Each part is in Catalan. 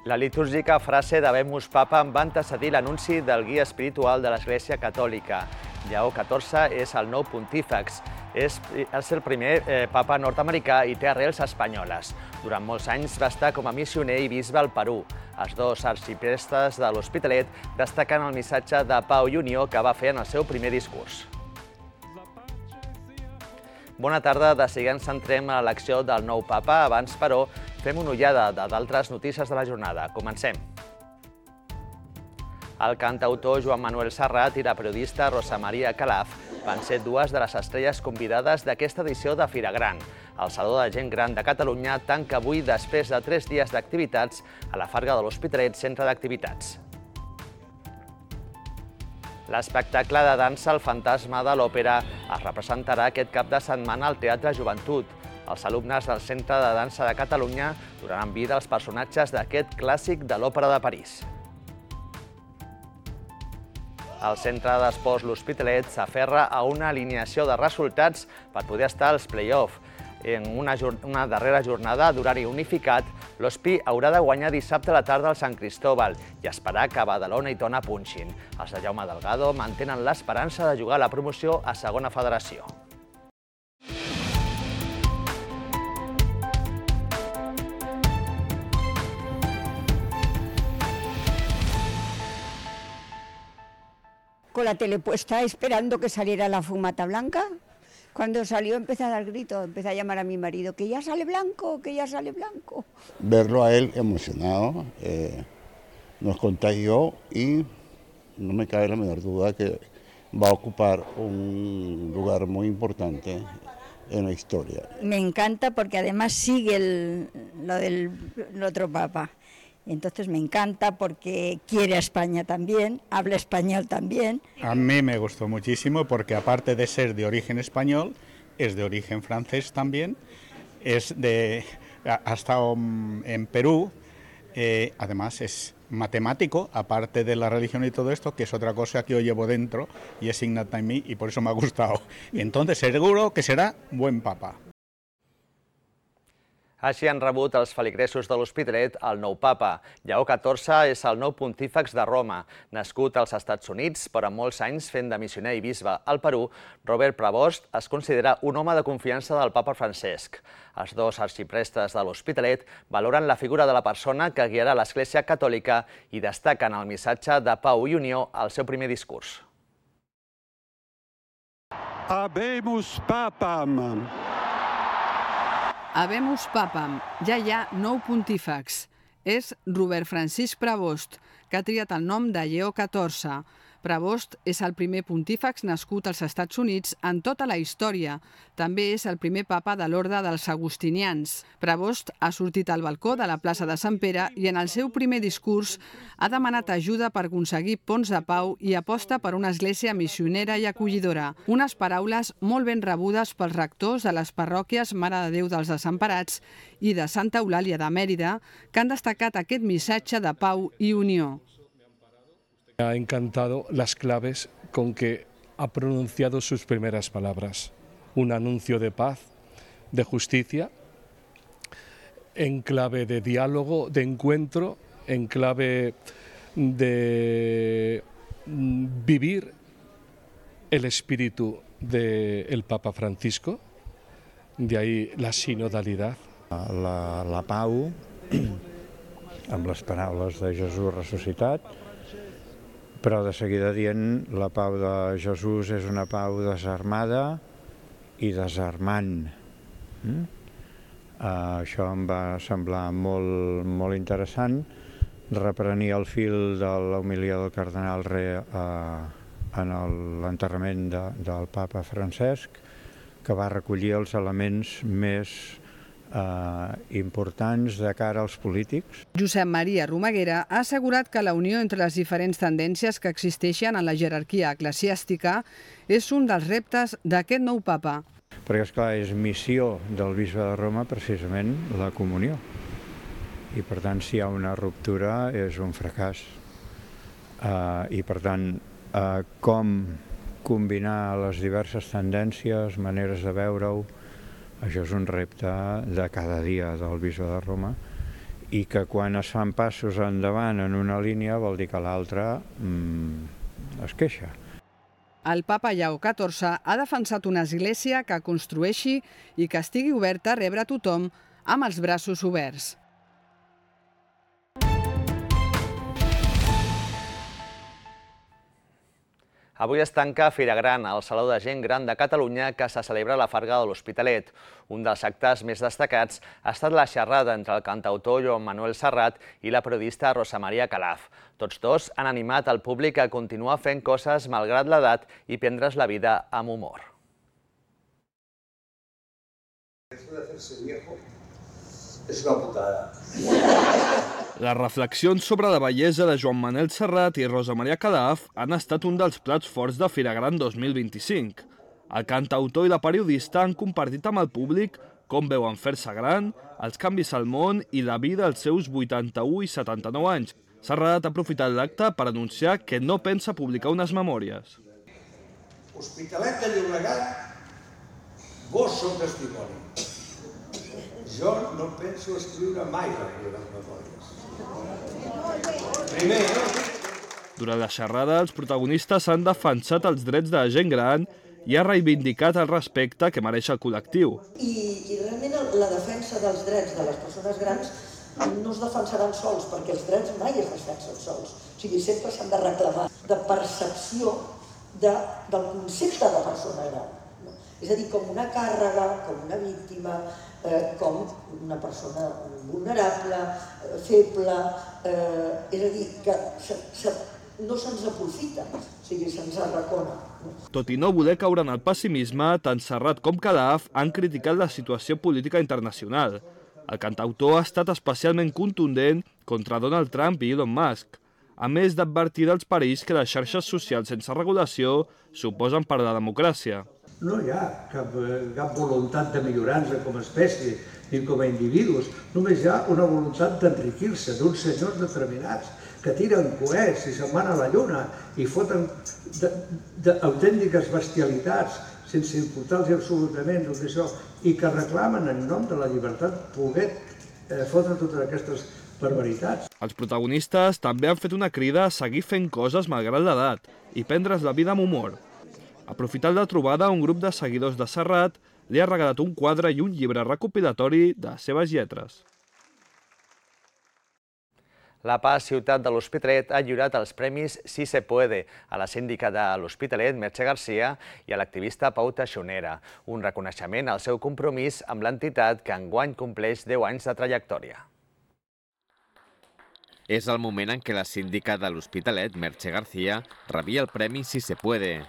La litúrgica frase d'Habemus Papam va antecedir l'anunci del guia espiritual de l'Església Catòlica. Lleó XIV és el nou pontífex. És el primer papa nord-americà i té arrels espanyoles. Durant molts anys va estar com a missioner i bisbe al Perú. Els dos arxiprestes de l'Hospitalet destaquen el missatge de pau i unió que va fer en el seu primer discurs. Bona tarda, de seguida ens centrem a l'elecció del nou papa. Abans, però, fem una ullada d'altres notícies de la jornada. Comencem. El cantautor Joan Manuel Serrat i la periodista Rosa Maria Calaf van ser dues de les estrelles convidades d'aquesta edició de Fira Gran. El Saló de Gent Gran de Catalunya tanca avui després de 3 dies d'activitats a la Farga de l'Hospitalet, centre d'activitats. L'espectacle de dansa El fantasma de l'òpera es representarà aquest cap de setmana al Teatre Joventut. Els alumnes del Centre de Dansa de Catalunya donaran vida als personatges d'aquest clàssic de l'Òpera de París. El Centre d'Esports L'Hospitalet s'aferra a una alineació de resultats per poder estar als play-off. En una darrera jornada d'horari unificat, l'Hospi haurà de guanyar dissabte a la tarda al Sant Cristóbal i esperar que Badalona i Tona punxin. Els de Jaume Delgado mantenen l'esperança de jugar la promoció a segona federació. Con la tele puesta esperando que saliera la fumata blanca. Cuando salió empecé a dar gritos, empecé a llamar a mi marido, que ya sale blanco, que ya sale blanco. Verlo a él emocionado nos contagió y no me cabe la menor duda que va a ocupar un lugar muy importante en la historia. Me encanta porque además sigue lo del otro papa. Entonces me encanta porque quiere a España también, habla español también. A mí me gustó muchísimo porque aparte de ser de origen español, es de origen francés también, ha estado en Perú, además es matemático, aparte de la religión y todo esto, que es otra cosa que yo llevo dentro y es innata en mí y por eso me ha gustado. Y entonces seguro que será buen papa. Així han rebut els feligresos de l'Hospitalet el nou papa. Lleó XIV és el nou pontífex de Roma. Nascut als Estats Units, però amb molts anys fent de missioner i bisbe al Perú, Robert Prevost es considera un home de confiança del papa Francesc. Els dos arxiprestes de l'Hospitalet valoren la figura de la persona que guiarà l'Església Catòlica i destaquen el missatge de pau i unió al seu primer discurs. Habemus Papam. Habemus Papam, ja hi ha nou pontífex. És Robert Francisc Prevost, que ha triat el nom de Lleó XIV. Prevost és el primer pontífex nascut als Estats Units en tota la història. També és el primer papa de l'Orde dels Agustinians. Prevost ha sortit al balcó de la plaça de Sant Pere i en el seu primer discurs ha demanat ajuda per aconseguir ponts de pau i aposta per una església missionera i acollidora. Unes paraules molt ben rebudes pels rectors de les parròquies Mare de Déu dels Desemparats i de Santa Eulàlia de Mèrida, que han destacat aquest missatge de pau i unió. Me ha encantado las claves con que ha pronunciado sus primeras palabras. Un anuncio de paz, de justicia, en clave de diálogo, de encuentro, en clave de vivir el espíritu del Papa Francisco, de ahí la sinodalidad. La pau, amb les paraules de Jesús ressuscitat, però de seguida dient la pau de Jesús és una pau desarmada i desarmant. Això em va semblar molt interessant. Reprenia el fil de l'homilia del cardenal Re en l'enterrament del papa Francesc, que va recollir els elements més importants de cara als polítics. Josep Maria Romaguera ha assegurat que la unió entre les diferents tendències que existeixen en la jerarquia eclesiàstica és un dels reptes d'aquest nou papa. Perquè, esclar, és missió del bisbe de Roma precisament la comunió. I, per tant, si hi ha una ruptura és un fracàs. I, per tant, com combinar les diverses tendències, maneres de veure-ho, això és un repte de cada dia del bisbe de Roma i que quan es fan passos endavant en una línia vol dir que l'altra es queixa. El papa Lleó XIV ha defensat una església que construeixi i que estigui oberta a rebre tothom amb els braços oberts. Avui es tanca Fira Gran, el Saló de Gent Gran de Catalunya, que se celebra a la Farga de l'Hospitalet. Un dels actes més destacats ha estat la xerrada entre el cantautor Joan Manuel Serrat i la periodista Rosa Maria Calaf. Tots dos han animat el públic a continuar fent coses malgrat l'edat i prendre's la vida amb humor. Esto de hacerse viejo es una putada. Les reflexions sobre la bellesa de Joan Manuel Serrat i Rosa Maria Calaf han estat un dels plats forts de Fira Gran 2025. El cantautor i la periodista han compartit amb el públic com veuen fer-se gran, els canvis al món i la vida als seus 81 i 79 anys. Serrat ha aprofitat l'acte per anunciar que no pensa publicar unes memòries. Hospitalet de Llobregat, vos sou testimoni. Jo no penso escriure mai les meves memòries. Primer, Durant la xerrada, els protagonistes han defensat els drets de la gent gran i ha reivindicat el respecte que mereix el col·lectiu. I realment la defensa dels drets de les persones grans no es defensaran sols, perquè els drets mai es defensen sols. O sigui, sempre s'han de reclamar de percepció del concepte de persona gran. És a dir, com una càrrega, com una víctima, com una persona vulnerable, feble, és a dir, que no se'ns aprofita, o sigui, se'ns arracona. Tot i no voler caure en el pessimisme, tant Serrat com Calaf han criticat la situació política internacional. El cantautor ha estat especialment contundent contra Donald Trump i Elon Musk, a més d'advertir dels perills que les xarxes socials sense regulació suposen per a la democràcia. no hi ha cap voluntat de millorar-nos com a espècie ni com a individus, només hi ha una voluntat d'enriquir-se d'uns senyors determinats que tiren coets i se'n van a la lluna i foten autèntiques bestialitats sense importar-los absolutament tot això i que reclamen en nom de la llibertat poder fotre totes aquestes barbaritats. Els protagonistes també han fet una crida a seguir fent coses malgrat l'edat i prendre's la vida amb humor. Aprofitant la trobada, un grup de seguidors de Serrat li ha regalat un quadre i un llibre recopilatori de les seves lletres. La PA Ciutat de l'Hospitalet ha lliurat els premis Si se puede a la síndica de l'Hospitalet, Merche Garcia, i a l'activista Pau Taxonera, un reconeixement al seu compromís amb l'entitat que enguany compleix 10 anys de trajectòria. És el moment en què la síndica de l'Hospitalet, Merche Garcia, rebia el premi Si se puede,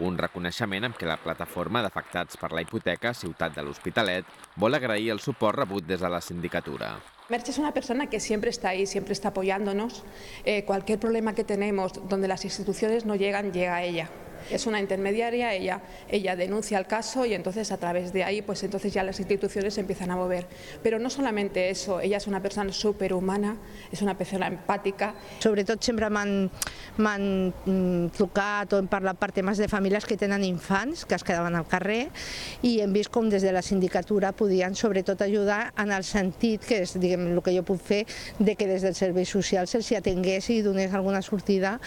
un reconeixement amb què la plataforma d'afectats per la hipoteca Ciutat de l'Hospitalet vol agrair el suport rebut des de la sindicatura. Merche es una persona que siempre está ahí, siempre está apoyándonos. Cualquier problema que tenemos donde las instituciones no llegan, llega a ella. Es una intermediaria, ella denuncia el caso y entonces a través de ahí pues entonces ya las instituciones se empiezan a mover. Pero no solamente eso, ella es una persona superhumana, és una persona empàtica. Sobretot sempre m'han trucat o hem parlat per temes de famílies que tenen infants que es quedaven al carrer i hem vist com des de la sindicatura podien sobretot ajudar en el sentit que és diguem, el que jo puc fer de que des del servei social se'ls atengués i donés alguna sortida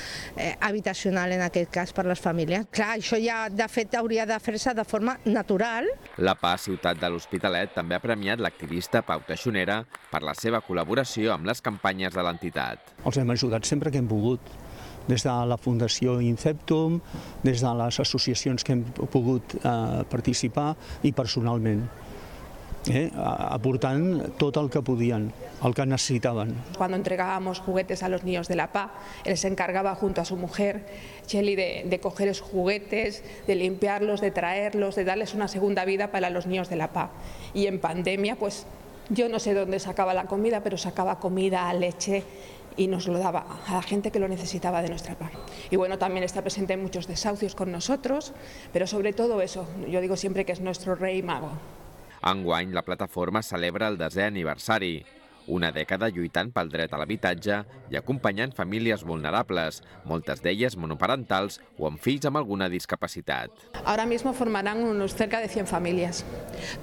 habitacional en aquest cas per les famílies. Clar, això ja de fet hauria de fer-se de forma natural. La PA Ciutat de l'Hospitalet també ha premiat l'activista Pau Taxonera per la seva col·laboració amb les campanyes de l'entitat. Els hem ajudat sempre que hem pogut, des de la Fundació Inceptum, des de les associacions que hem pogut participar i personalment. Aportant tot el que podien, el que necesitaven. Cuando entregábamos juguetes a los niños de la PA, él se encargaba junto a su mujer, Cheli, de coger esos juguetes, de limpiarlos, de traerlos, de darles una segunda vida para los niños de la PA. Y en pandemia, pues yo no sé dónde sacaba la comida, pero sacaba comida, leche y nos lo daba a la gente que lo necesitaba de nuestra PA. Y bueno, también está presente en muchos desahucios con nosotros, pero sobre todo eso, yo digo siempre que es nuestro rey mago. Enguany, la plataforma celebra el 10è aniversari, una dècada lluitant pel dret a l'habitatge i acompanyant famílies vulnerables, moltes d'elles monoparentals o amb fills amb alguna discapacitat. Ahora mismo formarán unos cerca de 100 familias,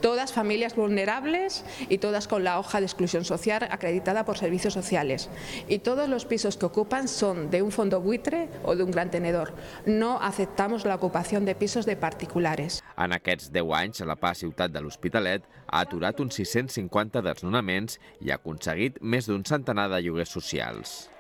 todas familias vulnerables y todas con la hoja de exclusión social acreditada por servicios sociales. Y todos los pisos que ocupan son de un fondo buitre o de un gran tenedor. No aceptamos la ocupación de pisos de particulares. En aquests 10 anys, la PA Ciutat de l'Hospitalet ha aturat uns 650 desnonaments i ha aconseguit més d'un centenar de lloguers socials.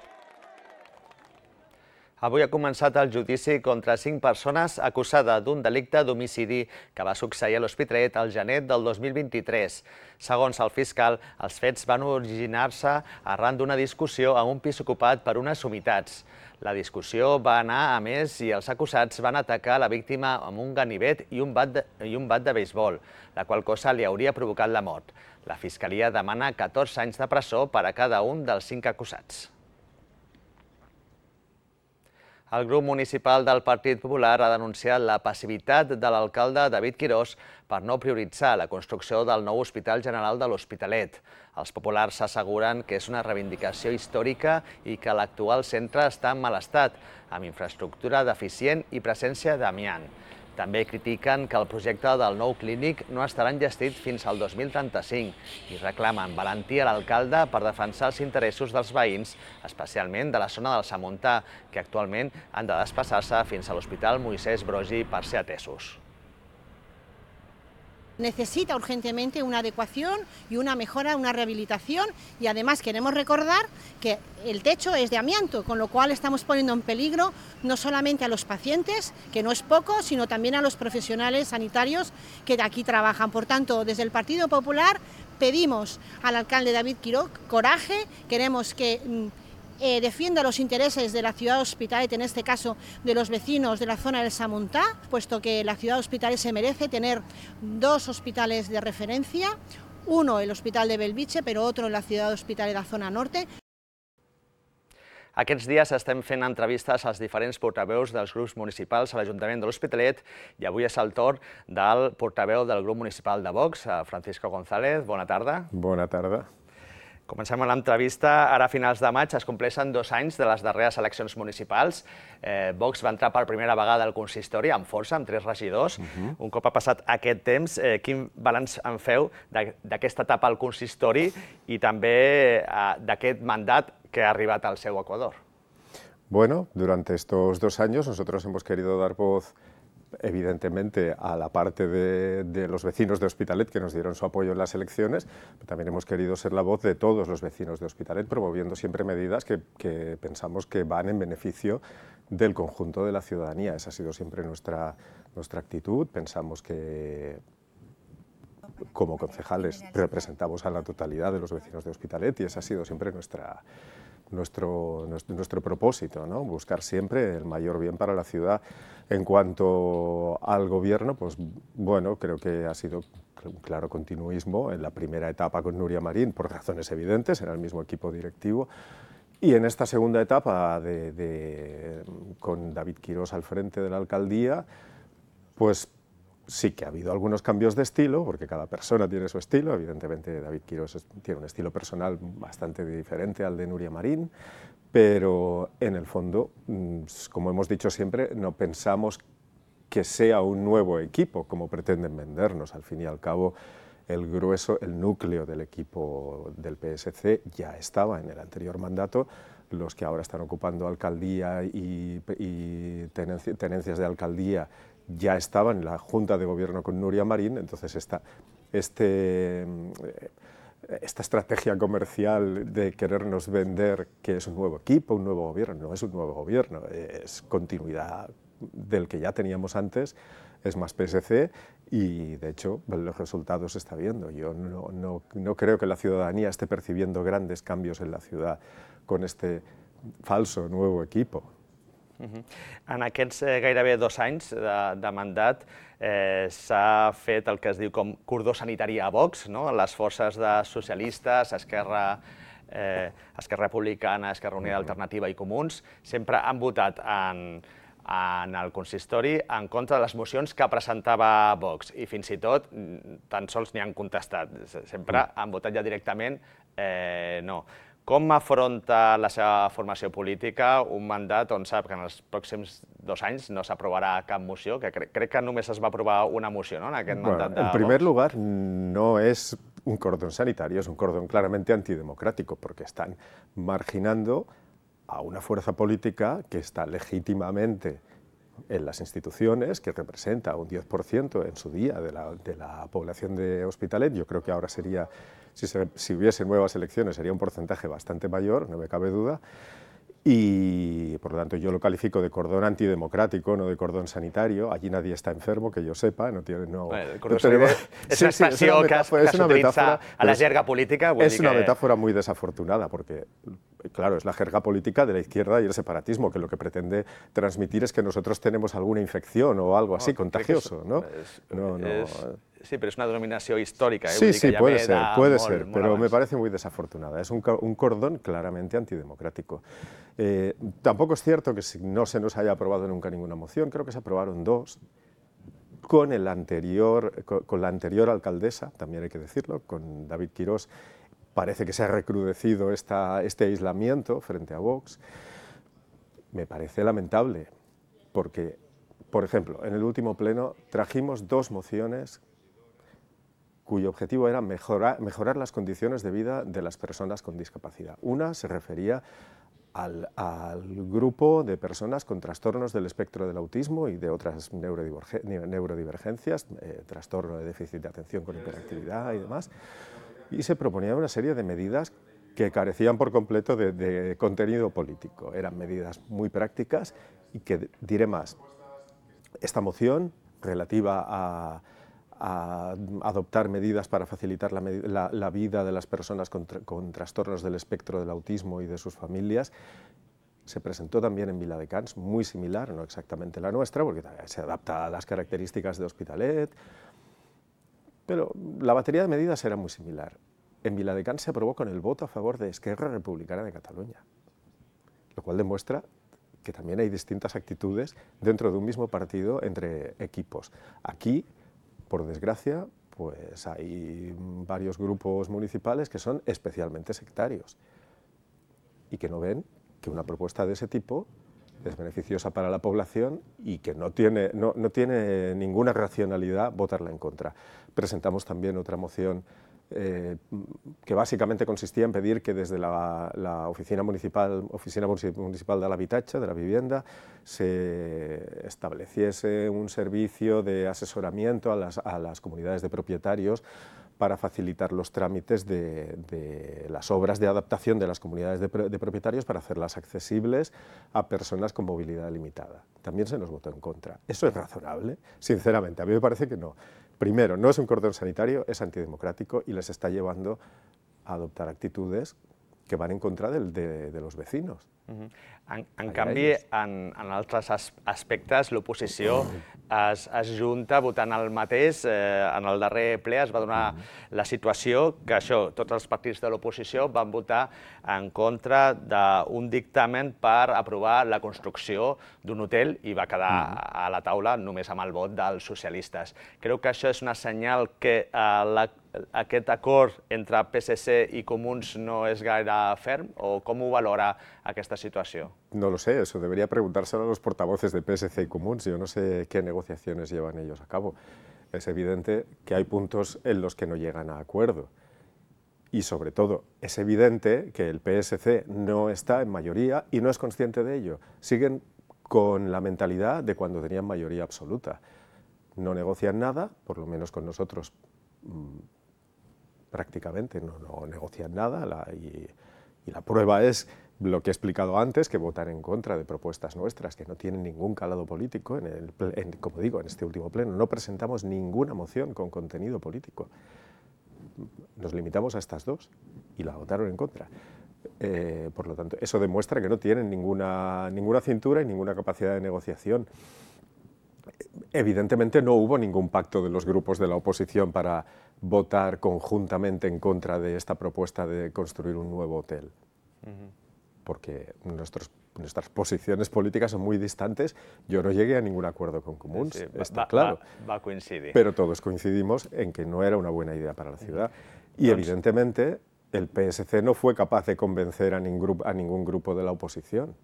Avui ha començat el judici contra 5 persones acusades d'un delicte d'homicidi que va succeir a l'Hospitalet al gener del 2023. Segons el fiscal, els fets van originar-se arran d'una discussió a un pis ocupat per unes humitats. La discussió va anar a més i els acusats van atacar la víctima amb un ganivet i un bat de beisbol, la qual cosa li hauria provocat la mort. La Fiscalia demana 14 anys de presó per a cada un dels 5 acusats. El grup municipal del Partit Popular ha denunciat la passivitat de l'alcalde David Quirós per no prioritzar la construcció del nou Hospital General de l'Hospitalet. Els populars asseguren que és una reivindicació històrica i que l'actual centre està en mal estat, amb infraestructura deficient i presència d'amiant. També critiquen que el projecte del nou clínic no estarà enllestit fins al 2035 i reclamen valentia a l'alcalde per defensar els interessos dels veïns, especialment de la zona del Samontà, que actualment han de desplaçar-se fins a l'Hospital Moisès Broggi per ser atesos. Necesita urgentemente una adecuación y una mejora, una rehabilitación, y además queremos recordar que el techo es de amianto, con lo cual estamos poniendo en peligro no solamente a los pacientes, que no es poco, sino también a los profesionales sanitarios que de aquí trabajan. Por tanto, desde el Partido Popular pedimos al alcalde David Quirós coraje, queremos que defienda los intereses de la ciudad de Hospitalet, en este caso de los vecinos de la zona del Samontà, puesto que la ciudad de Hospitalet se merece tener 2 hospitales de referencia, uno el Hospital de Bellvitge, pero otro en la ciudad de Hospitalet, la zona norte. Aquests dies estem fent entrevistes als diferents portaveus dels grups municipals a l'Ajuntament de l'Hospitalet i avui és el torn del portaveu del grup municipal de Vox, Francisco González. Bona tarda. Bona tarda. Comencem amb l'entrevista. Ara a finals de maig es compleixen 2 anys de les darreres eleccions municipals. Vox va entrar per primera vegada al consistori amb força, amb 3 regidors. Un cop ha passat aquest temps, quin balanç en feu d'aquesta etapa al consistori i també d'aquest mandat que ha arribat al seu equador? Bueno, durante estos 2 años nosotros hemos querido dar voz evidentemente a la parte de los vecinos de Hospitalet que nos dieron su apoyo en las elecciones, pero también hemos querido ser la voz de todos los vecinos de Hospitalet, promoviendo siempre medidas que pensamos que van en beneficio del conjunto de la ciudadanía. Esa ha sido siempre nuestra actitud. Pensamos que como concejales representamos a la totalidad de los vecinos de Hospitalet y esa ha sido siempre nuestro propósito, ¿no? Buscar siempre el mayor bien para la ciudad. En cuanto al gobierno, pues bueno, creo que ha sido un claro continuismo en la primera etapa con Núria Marín, por razones evidentes, era el mismo equipo directivo, y en esta segunda etapa con David Quirós al frente de la alcaldía, pues sí que ha habido algunos cambios de estilo, porque cada persona tiene su estilo. Evidentemente David Quirós tiene un estilo personal bastante diferente al de Núria Marín, pero en el fondo, como hemos dicho siempre, no pensamos que sea un nuevo equipo, como pretenden vendernos. Al fin y al cabo, el grueso, el núcleo del equipo del PSC ya estaba en el anterior mandato. Los que ahora están ocupando alcaldía y tenencias de alcaldía ya estaban en la Junta de Gobierno con Núria Marín, entonces esta estrategia comercial de querernos vender que es un nuevo equipo, un nuevo gobierno, no es un nuevo gobierno, es continuidad del que ya teníamos antes, es más PSC y de hecho los resultados se está viendo. Yo no creo que la ciudadanía esté percibiendo grandes cambios en la ciudad con este falso nuevo equipo. En aquests gairebé 2 anys de mandat s'ha fet el que es diu com cordó sanitari a Vox, les forces de socialistes, Esquerra Republicana, Esquerra Unida Alternativa i Comuns, sempre han votat en el consistori en contra de les mocions que presentava Vox i fins i tot tan sols n'hi han contestat. Sempre han votat ja directament no. Com afronta la seva formació política un mandat on sap que en els pròxims 2 anys no s'aprovarà cap moció, que crec que només es va aprovar una moció, ¿no?, en aquest mandat de Vox? En primer lugar, no es un cordón sanitario, es un cordón claramente antidemocrático, porque están marginando a una fuerza política que está legítimamente en las instituciones, que representa un 10% en su día de la población de Hospitalet. Yo creo que ahora sería, si hubiese nuevas elecciones, sería un porcentaje bastante mayor, no me cabe duda. Y por lo tanto yo lo califico de cordón antidemocrático, no de cordón sanitario. Allí nadie está enfermo, que yo sepa. No tiene, no, el cordón sanitario és una expressió que s'utilitza a la jerga política. Es una metáfora muy desafortunada, porque claro, es la jerga política de la izquierda y el separatismo, que lo que pretende transmitir es que nosotros tenemos alguna infección o algo así contagioso, ¿no? Sí, pero es una denominación histórica. Sí, puede ser, pero me parece muy desafortunada. Es un cordón claramente antidemocrático. Tampoco es cierto que no se nos haya aprobado nunca ninguna moción, creo que se aprobaron 2, con la anterior alcaldesa, también hay que decirlo, con David Quirós. Parece que se ha recrudecido este aislamiento frente a Vox. Me parece lamentable, porque, por ejemplo, en el último pleno trajimos 2 mociones cuyo objetivo era mejorar las condiciones de vida de las personas con discapacidad. Una se refería al grupo de personas con trastornos del espectro del autismo y de otras neurodivergencias, trastorno de déficit de atención con hiperactividad y demás, y se proponía una serie de medidas que carecían por completo de contenido político. Eran medidas muy prácticas y que, diré más, esta moción relativa a adoptar medidas para facilitar la vida de las personas con trastornos del espectro del autismo y de sus familias, se presentó también en Viladecans, muy similar, no exactamente la nuestra, porque se adapta a las características de Hospitalet, pero la batería de medidas era muy similar. En Viladecans se aprobó con el voto a favor de Esquerra Republicana de Cataluña, lo cual demuestra que también hay distintas actitudes dentro de un mismo partido entre equipos. Aquí, por desgracia, pues hay varios grupos municipales que son especialmente sectarios y que no ven que una propuesta de ese tipo es beneficiosa para la población y que no tiene ninguna racionalidad votarla en contra. Presentamos también otra moción que básicamente consistía en pedir que desde la Oficina Municipal de l'Habitatge, de la Vivienda, se estableciese un servicio de asesoramiento a las comunidades de propietarios para facilitar los trámites de las obras de adaptación de las comunidades de propietarios para hacerlas accesibles a personas con movilidad limitada. También se nos votó en contra. ¿Eso es razonable? Sinceramente, a mí me parece que no. Primero, no es un cordón sanitario, es antidemocrático y les está llevando a adoptar actitudes que van en contra de los vecinos. En canvi, en altres aspectes, l'oposició es junta votant el mateix. En el darrer ple es va donar la situació que tots els partits de l'oposició van votar en contra d'un dictamen per aprovar la construcció d'un hotel i va quedar a la taula només amb el vot dels socialistes. Creu que això és una senyal que aquest acord entre PSC i Comuns no és gaire ferm, o com ho valora aquesta situació? No lo sé, eso debería preguntárselo a los portavoces de PSC y Comuns. Yo no sé qué negociaciones llevan ellos a cabo. Es evidente que hay puntos en los que no llegan a acuerdo. Y sobre todo, es evidente que el PSC no está en mayoría y no es consciente de ello. Siguen con la mentalidad de cuando tenían mayoría absoluta. No negocian nada, por lo menos con nosotros prácticamente no negocian nada, y la prueba es lo que he explicado antes, que votan en contra de propuestas nuestras que no tienen ningún calado político. Como digo, en este último pleno no presentamos ninguna moción con contenido político. Nos limitamos a estas 2 y la votaron en contra. Por lo tanto, eso demuestra que no tienen ninguna cintura y ninguna capacidad de negociación. Evidentemente no hubo ningún pacto de los grupos de la oposición para votar conjuntamente en contra de esta propuesta de construir un nuevo hotel, porque nuestras posiciones políticas son muy distantes. Yo no llegué a ningún acuerdo con Comuns, está claro, va coincidir. Pero todos coincidimos en que no era una buena idea para la ciudad. Y evidentemente el PSC no fue capaz de convencer a ningún grupo de la oposición.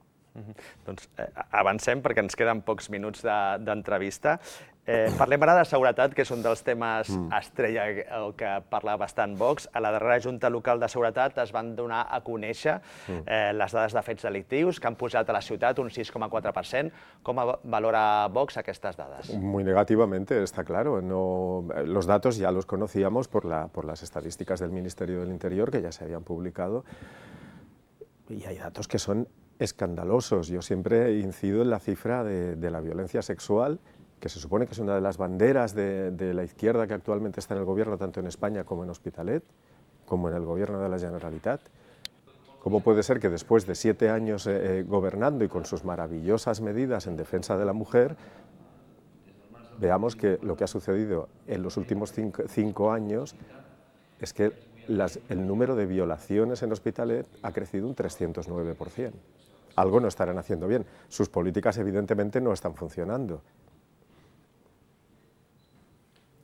Doncs avancem perquè ens queden pocs minuts d'entrevista. Parlem ara de seguretat, que és un dels temes estrella que parla bastant Vox. A la darrera Junta Local de Seguretat es van donar a conèixer les dades de fets delictius que han pujat a la ciutat un 6,4%. Com valora Vox aquestes dades? Muy negativamente, está claro. Los datos ya los conocíamos por las estadísticas del Ministerio del Interior, que ya se habían publicado, y hay datos que son escandalosos. Yo siempre incido en la cifra de la violencia sexual, que se supone que es una de las banderas de la izquierda que actualmente está en el gobierno, tanto en España como en Hospitalet, como en el gobierno de la Generalitat. ¿Cómo puede ser que después de 7 años gobernando y con sus maravillosas medidas en defensa de la mujer, veamos que lo que ha sucedido en los últimos 5 años es que el número de violaciones en Hospitalet ha crecido un 309%. Algo no estarán haciendo bien. Sus políticas evidentemente no están funcionando.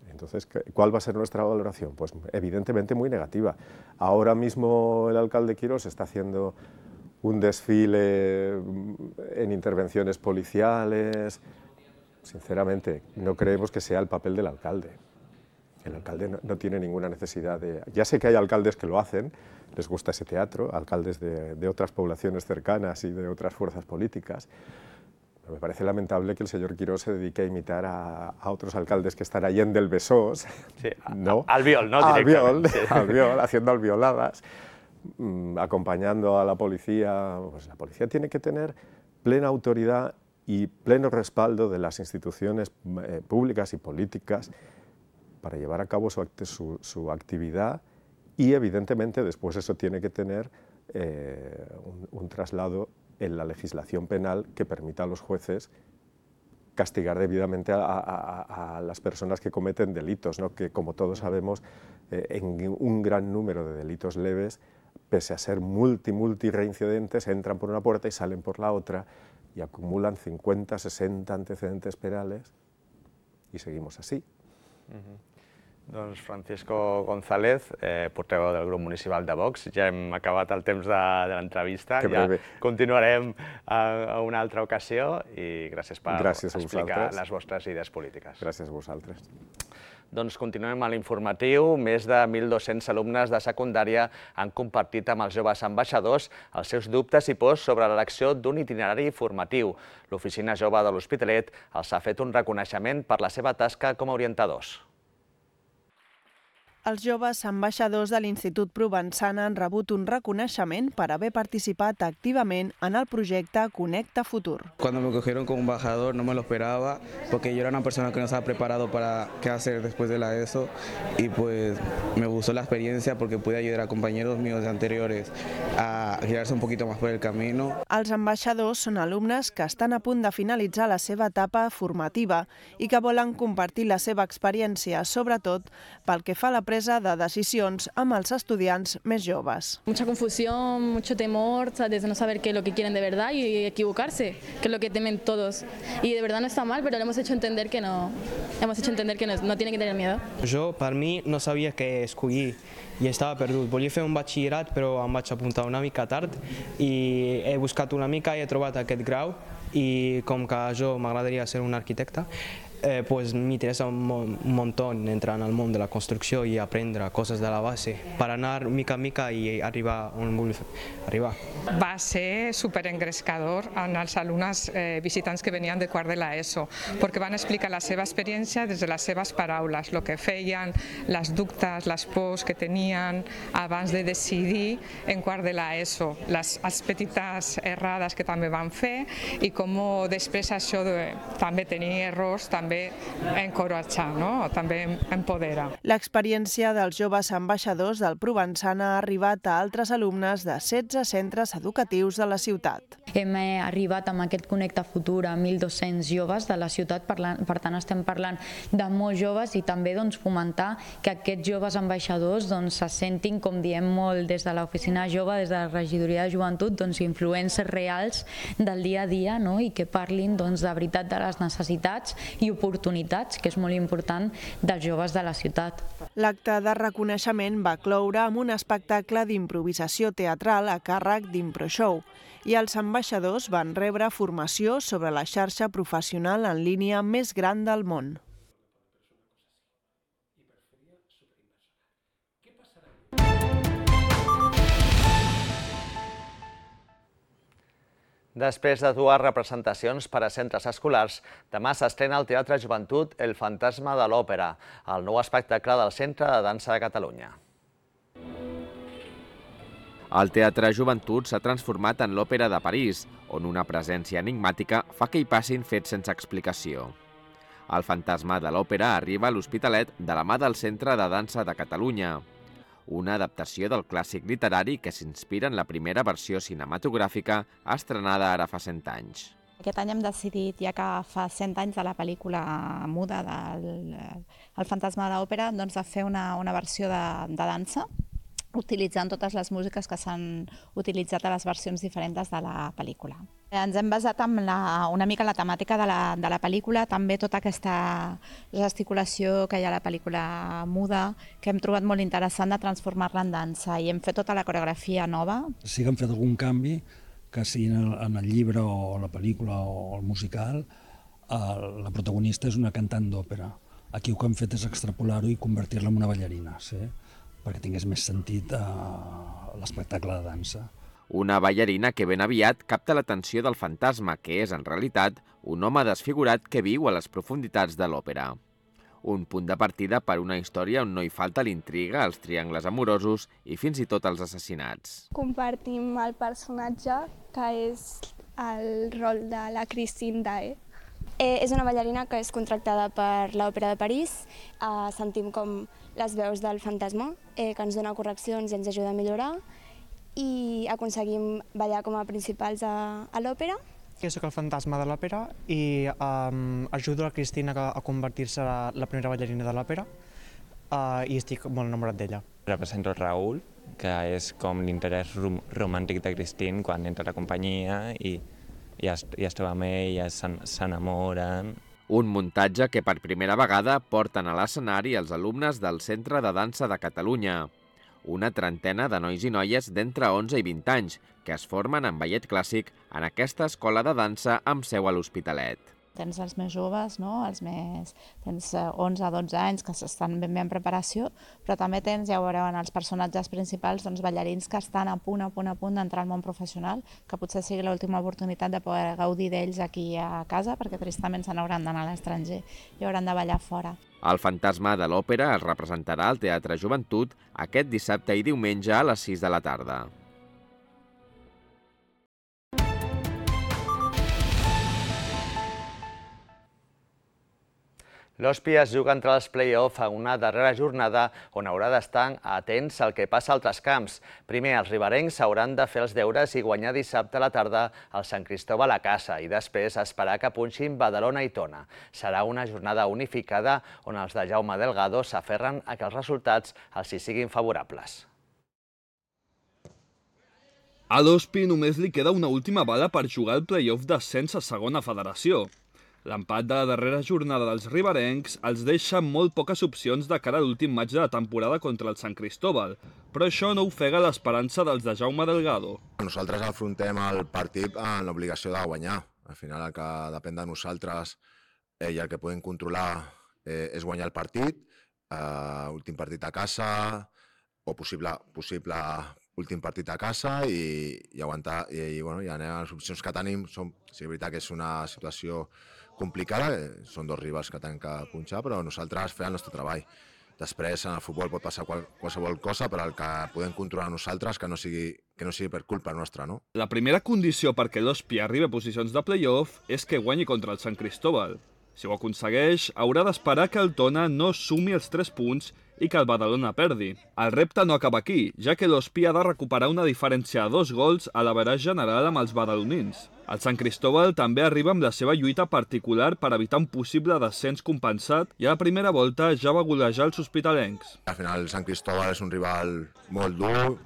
Entonces, ¿cuál va a ser nuestra valoración? Pues evidentemente muy negativa. Ahora mismo el alcalde Quirós está haciendo un desfile en intervenciones policiales. Sinceramente, no creemos que sea el papel del alcalde. El alcalde no tiene ninguna necesidad de... Ya sé que hay alcaldes que lo hacen, les gusta ese teatro, alcaldes de otras poblaciones cercanas y de otras fuerzas políticas. Pero me parece lamentable que el señor Quirós se dedique a imitar a otros alcaldes que están allá en del Besós, sí, ¿no? Albiol, ¿no? Albiol, haciendo albioladas, acompañando a la policía. Pues la policía tiene que tener plena autoridad y pleno respaldo de las instituciones públicas y políticas para llevar a cabo su actividad, y evidentemente después eso tiene que tener un traslado en la legislación penal que permita a los jueces castigar debidamente a las personas que cometen delitos, ¿no? Que, como todos sabemos, en un gran número de delitos leves, pese a ser multi reincidentes, entran por una puerta y salen por la otra y acumulan 50, 60 antecedentes penales y seguimos así. Doncs Francisco González, portaveu del grup municipal de Vox. Ja hem acabat el temps de l'entrevista, ja continuarem a una altra ocasió i gràcies per explicar les vostres idees polítiques. Gràcies a vosaltres. Doncs continuem a l'informatiu. Més de 1.200 alumnes de secundària han compartit amb els joves ambaixadors els seus dubtes i pors sobre l'elecció d'un itinerari formatiu. L'Oficina Jove de l'Hospitalet els ha fet un reconeixement per la seva tasca com a orientadors. Els joves ambaixadors de l'Institut Provençana han rebut un reconeixement per haver participat activament en el projecte Conecta Futur. Cuando me cogieron como embajador no me lo esperaba, porque yo era una persona que no estaba preparado para qué hacer después de la ESO, y pues me gustó la experiencia porque pude ayudar a compañeros míos anteriores a girarse un poquito más por el camino. Els ambaixadors són alumnes que estan a punt de finalitzar la seva etapa formativa i que volen compartir la seva experiència, sobretot pel que fa a la presa de decisions amb els estudiants més joves. Mucha confusión, mucho temor, ¿sabes? De no saber qué es lo que quieren de verdad y equivocarse, que es lo que temen todos. Y de verdad no está mal, pero le hemos hecho entender que no tienen que tener miedo. Jo, per mi, no sabia què escollir i estava perdut. Volia fer un batxillerat, però em vaig apuntar una mica tard i he buscat una mica i he trobat aquest grau, i com que jo m'agradaria ser un arquitecte, pues me interesa un montón entrar en el mundo de la construcción y aprender cosas de la base para anar mica a mica i arribar on vull arribar. Va ser superengrescador en els alumnes visitants que venien de quart de l'ESO, perquè van explicar la seva experiència des de les seves paraules, el que feien, les dubtes, les pors que tenien abans de decidir en quart de l'ESO, les petites errades que també van fer i com després això de també tenir errors també encoratja, no? També empodera. L'experiència dels joves ambaixadors del Provençana ha arribat a altres alumnes de 16 centres educatius de la ciutat. Hem arribat amb aquest Connecta Futur a 1.200 joves de la ciutat, per tant estem parlant de molts joves i també fomentar que aquests joves ambaixadors se sentin, com diem molt des de l'Oficina Jove, des de la Regidoria de Joventut, influències reals del dia a dia i que parlin de veritat de les necessitats i oportunitats, que és molt important, dels joves de la ciutat. L'acte de reconeixement va cloure amb un espectacle d'improvisació teatral a càrrec d'ImproShow i els ambaixadors van rebre formació sobre la xarxa professional en línia més gran del món. Després de dues representacions per a centres escolars, demà s'estrena al Teatre Joventut El fantasma de l'òpera, el nou espectacle del Centre de Dansa de Catalunya. El Teatre Joventut s'ha transformat en l'Òpera de París, on una presència enigmàtica fa que hi passin fets sense explicació. El fantasma de l'òpera arriba a l'Hospitalet de la mà del Centre de Dansa de Catalunya, una adaptació del clàssic literari que s'inspira en la primera versió cinematogràfica estrenada ara fa 100 anys. Aquest any hem decidit, ja que fa 100 anys de la pel·lícula muda del fantasma de l'òpera, doncs de fer una versió de dansa, utilitzant totes les músiques que s'han utilitzat a les versions diferents de la pel·lícula. Ens hem basat en una mica en la temàtica de la pel·lícula, també tota aquesta gesticulació que hi ha a la pel·lícula muda, que hem trobat molt interessant de transformar-la en dansa, i hem fet tota la coreografia nova. Sí que hem fet algun canvi, que sigui en el llibre o la pel·lícula o el musical, la protagonista és una cantant d'òpera. Aquí el que hem fet és extrapolar-ho i convertir-la en una ballarina, sí? Perquè tingués més sentit l'espectacle de dansa. Una ballarina que ben aviat capta l'atenció del fantasma, que és en realitat un home desfigurat que viu a les profunditats de l'òpera. Un punt de partida per una història on no hi falta l'intriga, els triangles amorosos i fins i tot els assassinats. Compartim el personatge, que és el rol de la Christine Dae. És una ballarina que és contractada per l'Òpera de París. Sentim com les veus del fantasma, que ens dona correccions i ens ajuda a millorar, i aconseguim ballar com a principals a l'òpera. Jo soc el fantasma de l'òpera i ajudo a Cristina a convertir-se en la primera ballarina de l'òpera i estic molt enamorat d'ella. Represento el Raül, que és com l'interès romàntic de Christine quan entra a la companyia i es troba amb ell, s'enamoren. Un muntatge que per primera vegada porten a l'escenari els alumnes del Centre de Dansa de Catalunya. Una trentena de nois i noies d'entre 11 i 20 anys que es formen en ballet clàssic en aquesta escola de dansa amb seu a l'Hospitalet. Tens els més joves, no? Tens 11 a 12 anys que estan ben bé en preparació, però també tens, ja ho veureu, en els personatges principals, ballarins que estan a punt d'entrar al món professional, que potser sigui l'última oportunitat de poder gaudir d'ells aquí a casa, perquè tristament se n'hauran d'anar a l'estranger i hauran de ballar fora. El fantasma de l'òpera es representarà al Teatre Joventut aquest dissabte i diumenge a les 6 de la tarda. L'Ospi es juga entre els play-off a una darrera jornada on haurà d'estar atents al que passa a altres camps. Primer, els riberencs hauran de fer els deures i guanyar dissabte a la tarda al Sant Cristóbal a casa i després esperar que punxin Badalona i Tona. Serà una jornada unificada on els de Jaume Delgado s'aferren a que els resultats els hi siguin favorables. A l'Ospi només li queda una última bala per jugar el play-off d'ascens a segona federació. L'empat de la darrera jornada dels riberencs els deixa molt poques opcions de cara a l'últim maig de la temporada contra el Sant Cristóbal, però això no ofega l'esperança dels de Jaume Delgado. Nosaltres afrontem el partit amb l'obligació de guanyar. Al final el que depèn de nosaltres i el que podem controlar és guanyar el partit, últim partit a casa o possible últim partit a casa i aguantar. I les opcions que tenim són, sí, és veritat que és una situació complicada, són dos rivals que tenen que punxar, però nosaltres fem el nostre treball. Després en el futbol pot passar qualsevol cosa, però el que podem controlar nosaltres que no sigui per culpa nostra, no? La primera condició perquè l'Ospi arribi a posicions de play-off és que guanyi contra el Sant Cristóbal. Si ho aconsegueix, haurà d'esperar que el Tona no sumi els 3 punts i que el Badalona perdi. El repte no acaba aquí, ja que l'Ospi ha de recuperar una diferència de 2 gols a l'average general amb els badalonins. El Sant Cristóbal també arriba amb la seva lluita particular per evitar un possible descens compensat i a la primera volta ja va golejar els hospitalencs. Al final el Sant Cristóbal és un rival molt dur,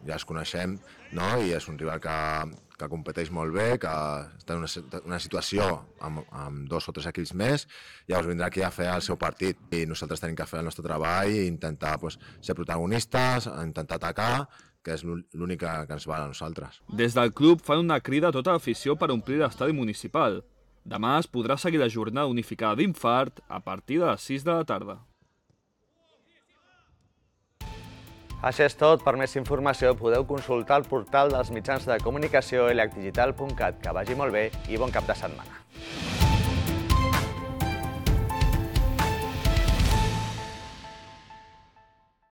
ja els coneixem, no? I és un rival que competeix molt bé, que està en una situació amb 2 o 3 equips més, llavors vindrà aquí a fer el seu partit i nosaltres tenim que fer el nostre treball i intentar ser protagonistes, intentar atacar, que és l'únic que ens val a nosaltres. Des del club fan una crida a tota l'afició per omplir l'estadi municipal. Demà es podrà seguir la jornada unificada d'Infart a partir de les 6 de la tarda. Això és tot. Per més informació podeu consultar el portal dels mitjans de comunicació elacdigital.cat. Que vagi molt bé i bon cap de setmana.